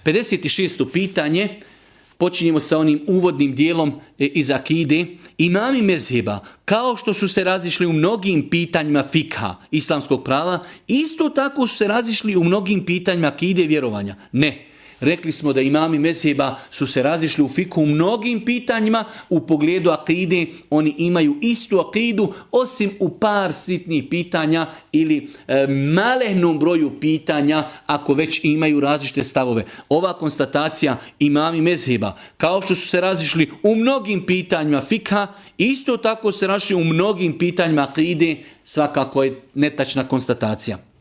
56. pitanje. Počinjemo sa onim uvodnim dijelom iz akide. Imami mezheba, kao što su se razišli u mnogim pitanjima fikha, islamskog prava, isto tako su se razišli u mnogim pitanjima akide i vjerovanja. Ne. Rekli smo da imami mezheba su se razišli u fikhu u mnogim pitanjima, u pogledu akide oni imaju istu akidu, osim u par sitnih pitanja ili malehnom broju pitanja, ako već imaju različite stavove. Ova konstatacija imami mezheba, kao što su se razišli u mnogim pitanjima fikha, isto tako se razišli u mnogim pitanjima akide, svakako je netačna konstatacija.